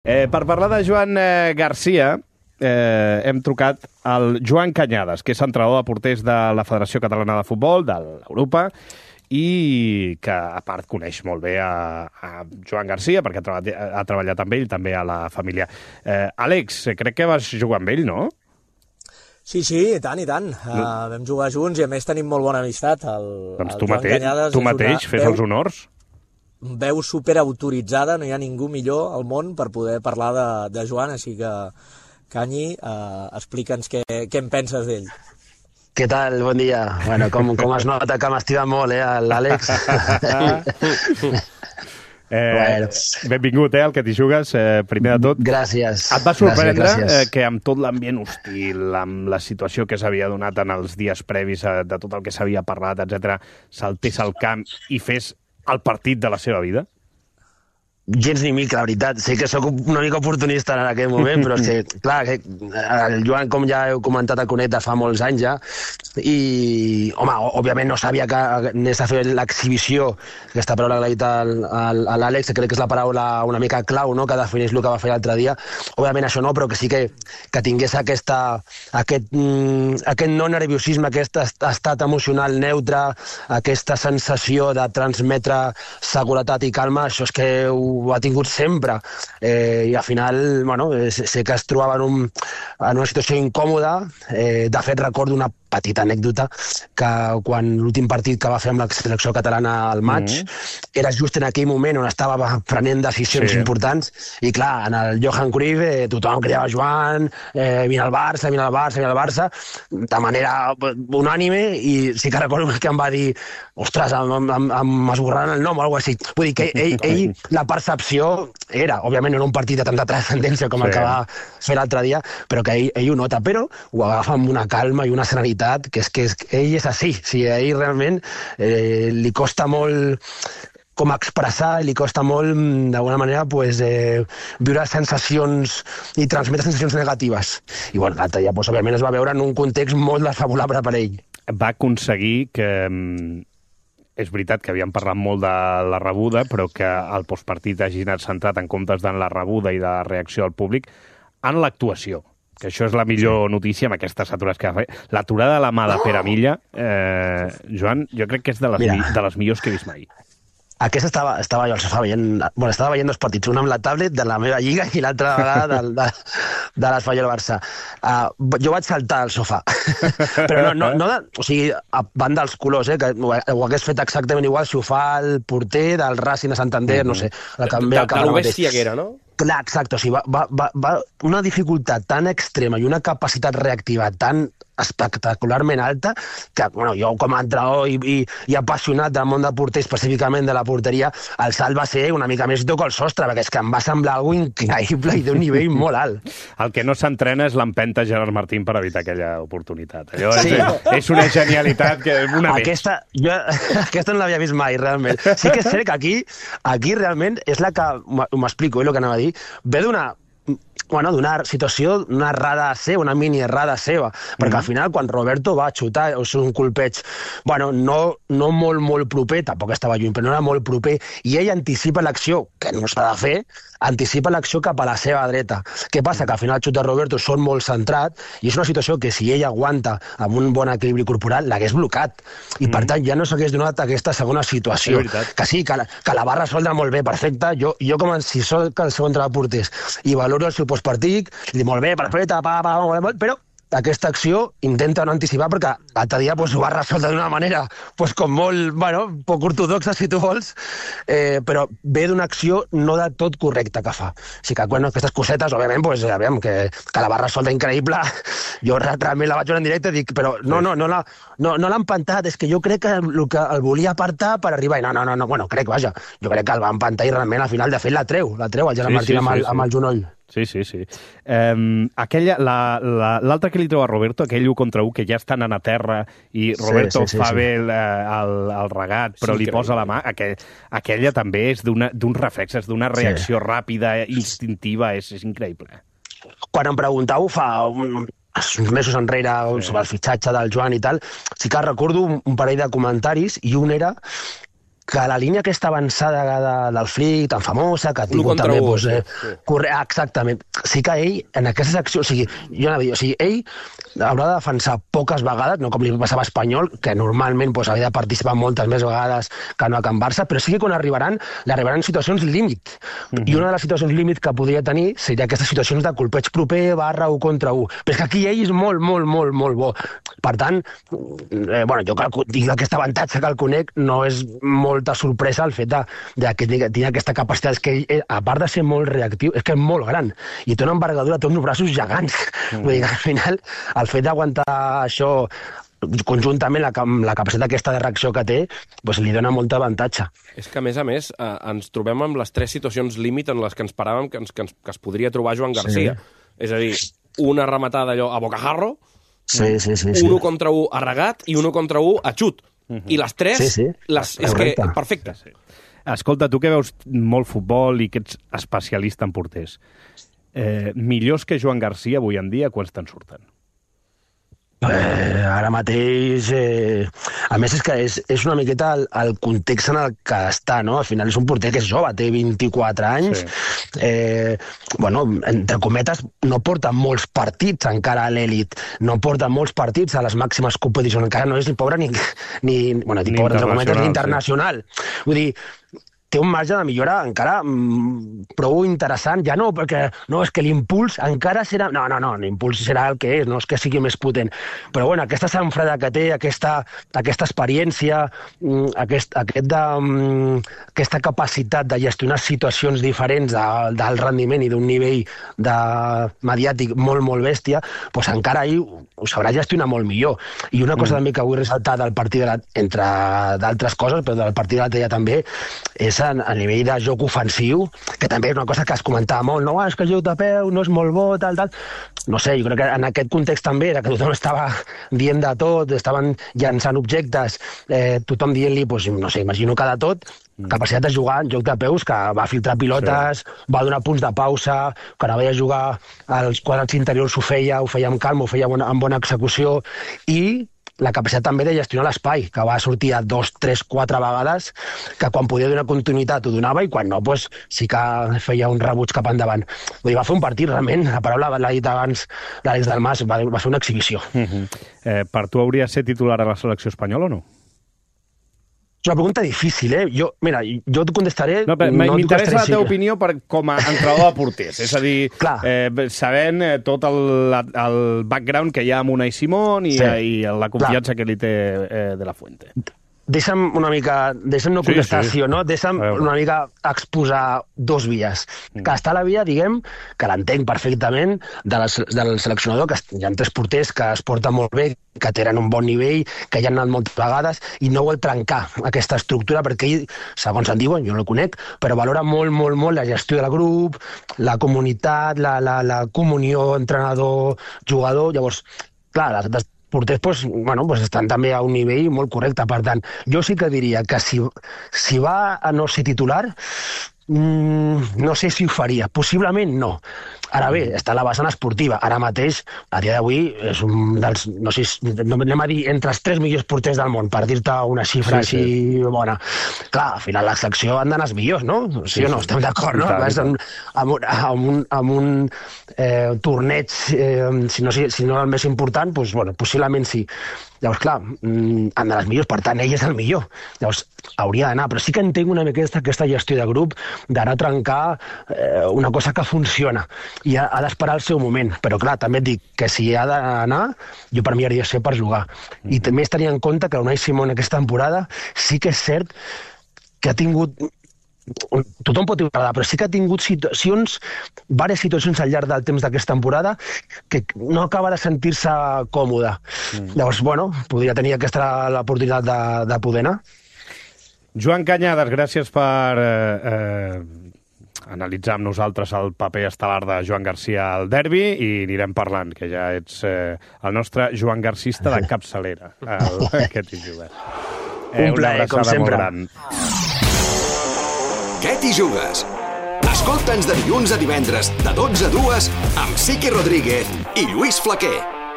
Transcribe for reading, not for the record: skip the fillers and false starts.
Per parlar de Joan Garcia, hem trucat al Joan Cañadas, que és entrenador de porters de la Federació Catalana de Futbol, de l'Europa, i que, a part, coneix molt bé a Joan Garcia, perquè ha treballat amb ell, també a la família. Àlex, crec que vas jugar amb ell, no? Sí, i tant. Vam jugar junts i, a més, tenim molt bona amistat. Doncs tu mateix, fes els honors. Veu superautoritzada, no hi ha ningú millor al món per poder parlar de Joan, així que, Canyi, explica'ns què en penses d'ell. Què tal? Bon dia. Bueno, com es nota que m'estima molt, l'Àlex. Benvingut, al que t'hi jugues, primer de tot. Gràcies. Et va sorprendre que amb tot l'ambient hostil, amb la situació que s'havia donat en els dies previs de tot el que s'havia parlat, etc., saltés al camp i fes el partit de la seva vida? Gens ni mica, la veritat. Sé que sóc una mica oportunista en aquell moment, però és que, clar, el Joan, com ja heu comentat, el conec de fa molts anys ja, i, home, òbviament no sabia que anés a fer l'exhibició, aquesta paraula que l'ha dit a l'Àlex, que crec que és la paraula una mica clau, no?, que defineix el que va fer l'altre dia. Òbviament això no, però que sí que tingués aquest no nerviosisme, aquest estat emocional neutre, aquesta sensació de transmetre seguretat i calma, això és que ho ha tingut sempre, i al final, bueno, sé que es trobava en una situació incòmoda. De fet, recordo una petita anècdota, que quan l'últim partit que va fer amb la selecció catalana al maig, era just en aquell moment on estava prenent decisions importants, i clar, en el Johan Cruyff tothom cridava Joan, vine al Barça, de manera unànime, i sí que recordo que em va dir, ostres, em esborraran el nom o alguna cosa així. Vull dir que ell la percepció era, òbviament no era un partit de tanta transcendència com el que va fer l'altre dia, però que ell ho nota, però ho agafa amb una calma i una serenitat, que és que ell és així. A ell realment li costa molt com expressar, li costa molt, d'alguna manera, viure sensacions i transmetre sensacions negatives. I, bueno, l'altre dia, òbviament, es va veure en un context molt desfavorable per ell. Va aconseguir que... És veritat que havíem parlat molt de la rebuda, però que el postpartit hagi anat centrat en comptes de la rebuda i de la reacció al públic en l'actuació, que això és la millor notícia amb aquestes atures que va fer. L'aturada de la mà de Pere Milla, Joan, jo crec que és de les millors que he vist mai. Aquesta estava jo al sofà estava veient dos partits, un amb la tablet de la meva lliga i l'altra vegada de l'Espanyol Barça. Jo vaig saltar al sofà, però o sigui, van dels colors, que ho hagués fet exactament igual si ho fa el porter del Racing de Santander, no sé. De lo bèstia que era, no? Clar, exacte, o sigui, va una dificultat tan extrema i una capacitat reactiva tan espectacularment alta que, bueno, jo com a entrenador i apassionat del món del porter, específicament de la porteria, el salt va ser una mica més toco al sostre, perquè és que em va semblar algo increïble i d'un nivell molt alt. El que no s'entrena és l'empenta Gerard Martín per evitar aquella oportunitat. Allò és una genialitat que una més. Aquesta no l'havia vist mai, realment. Sí que és cert que aquí realment és la que, m'explico, el que anava a dir, ve d'una situació, una errada seva, una mini errada seva, perquè al final quan Roberto va xutar, o sigui, un colpeig, bueno, no molt proper, tampoc estava lluny, però no era molt proper, i ell anticipa l'acció, que no s'ha de fer, anticipa l'acció cap a la seva dreta. Què passa? Que al final el xut de Roberto són molt centrat, i és una situació que si ell aguanta amb un bon equilibri corporal, l'hagués blocat, i per tant ja no s'hagués donat aquesta segona situació, que sí, que la va resoldre molt bé, perfecte. Jo com si soc el segon entrenador de porters i valoro el seu postpartit, i dic molt bé, perfecte, però aquesta acció intenta no anticipar, perquè l'altre dia ho va resoldre d'una manera com molt, poc ortodoxa, si tu vols, però ve d'una acció no de tot correcta que fa. O sigui que, aquestes cosetes, òbviament, que la va resoldre increïble. Jo realment la vaig veure en directe i dic, però no l'ha empantat, és que jo crec que el volia apartar per arribar, i no, crec que el va empantar i realment al final, de fet, la treu el Gerard Martín amb el genoll. Sí. L'altre que li treu a Roberto, aquell 1 contra 1, que ja estan a terra i Roberto fa bé el regat, però li posa la mà, aquella també és d'un reflex, és d'una reacció ràpida, instintiva, és increïble. Quan em preguntau fa uns mesos enrere sobre el fitxatge del Joan i tal, sí que recordo un parell de comentaris, i un era que la línia aquesta avançada del Flick, tan famosa, que ha tingut també... Exactament. Sí que ell, en aquesta secció... O sigui, jo anava a dir, o sigui, ell haurà de defensar poques vegades, no com li passava a Espanyol, que normalment havia de participar moltes més vegades que no a Can Barça, però sí que quan arribaran situacions límit. I una de les situacions límit que podria tenir seria aquestes situacions de colpeig proper / 1 contra 1. Però és que aquí ell és molt, molt, molt, molt bo. Per tant, jo tinc aquest avantatge que el conec, no és molta sorpresa el fet de que tingui aquesta capacitat. És que ell, a part de ser molt reactiu, és que és molt gran. I té una envergadura, té uns braços gegants. Vull dir que al final, el fet d'aguantar això conjuntament amb la capacitat aquesta de reacció que té, li dona molt avantatge. És que, a més, ens trobem amb les 3 situacions límit en les que ens paràvem que es podria trobar Joan Garcia. És a dir, una rematada allò a bocajarro, 1 contra 1 a regat i 1 contra 1 a xut. I les 3, és que perfecte. Escolta, tu que veus molt futbol i que ets especialista en porters, millors que Joan Garcia avui en dia, quants te'n surten? Ara mateix... A més, és que és una miqueta el context en el que està, no? Al final és un porter que és jove, té 24 anys. Entre cometes, no porta molts partits encara a l'elit, no porta molts partits a les màximes competicions, encara no és ni pobre ni pobre, entre cometes, ni internacional. Vull dir, té un marge de millora encara prou interessant, ja no, perquè no, és que l'impuls encara serà... No, l'impuls serà el que és, no és que sigui més potent. Però aquesta sanfreda que té, aquesta experiència, aquesta capacitat de gestionar situacions diferents del rendiment i d'un nivell mediàtic molt, molt bèstia, doncs encara ell ho sabrà gestionar molt millor. I una cosa també que vull ressaltar del partit, entre d'altres coses, però del partit de l'altre dia també, és a nivell de joc ofensiu, que també és una cosa que es comentava molt, no, és que el joc de peu no és molt bo, tal. No sé, jo crec que en aquest context també era que tothom estava dient de tot, estaven llançant objectes, tothom dient-li, no sé, imagino que de tot, capacitat de jugar en joc de peus, que va filtrar pilotes, va donar punts de pausa, que no veia jugar als quadrats interiors ho feia amb calma, ho feia amb bona execució, i la capacitat també de gestionar l'espai, que va sortir a 2, 3, 4 vegades, que quan podia donar continuïtat ho donava i quan no, sí que feia un rebuig cap endavant. Vull dir, va fer un partit realment, la paraula l'ha dit abans l'Àlex Dalmas, va fer una exhibició. Per tu hauria de ser titular a la selecció espanyola o no? És una pregunta difícil, jo et contestaré... M'interessa la teva opinió com a entrenador de porters, és a dir, sabent tot el background que hi ha amb Unai Simón i la confiança que li té de la Fuente. Deixa'm no contestar sí o no, deixa'm una mica exposar 2 vies. Que està la via, diguem, que l'entenc perfectament, del seleccionador, que hi ha 3 porters que es porten molt bé, que tenen un bon nivell, que ja han anat moltes vegades, i no vol trencar aquesta estructura, perquè ell, segons en diuen, jo no el conec, però valora molt, molt, molt la gestió del grup, la comunitat, la comunió entrenador-jugador. Llavors, clar, les porters estan també a un nivell molt correcte. Per tant, jo sí que diria que si va a no ser titular, no sé si ho faria. Possiblement no. Ara bé, està la vessant esportiva. Ara mateix, a dia d'avui, és un dels... No sé, anem a dir, entre els 3 millors porters del món, per dir-te una xifra així bona. Clar, al final la secció han d'anar els millors, no? Sí o no? Estem d'acord, no? Amb un torneig, si no el més important, possiblement sí. Llavors, clar, han d'anar els millors, per tant, ell és el millor. Llavors, hauria d'anar, però sí que entenc una mica aquesta gestió de grup, d'anar a trencar una cosa que funciona, i ha d'esperar el seu moment. Però, clar, també et dic que si ha d'anar, jo per mi hauria de ser per jugar. I també es tenia en compte que l'Unai Simón aquesta temporada sí que és cert que ha tingut... Tothom pot agradar, però sí que ha tingut diverses situacions al llarg del temps d'aquesta temporada que no acaba de sentir-se còmode. Llavors, podria tenir aquesta l'oportunitat de poder anar. Joan Cañadas, gràcies per analitzar amb nosaltres el paper estel·lar de Joan Garcia al derbi i anirem parlant, que ja ets el nostre Joan Garcista de capçalera. Aquest hi jugues. Un plaer, com sempre. Què t'hi jugues? Escolta'ns de dilluns a divendres, de 12 a 2, amb Siqui Rodríguez i Lluís Flaquer.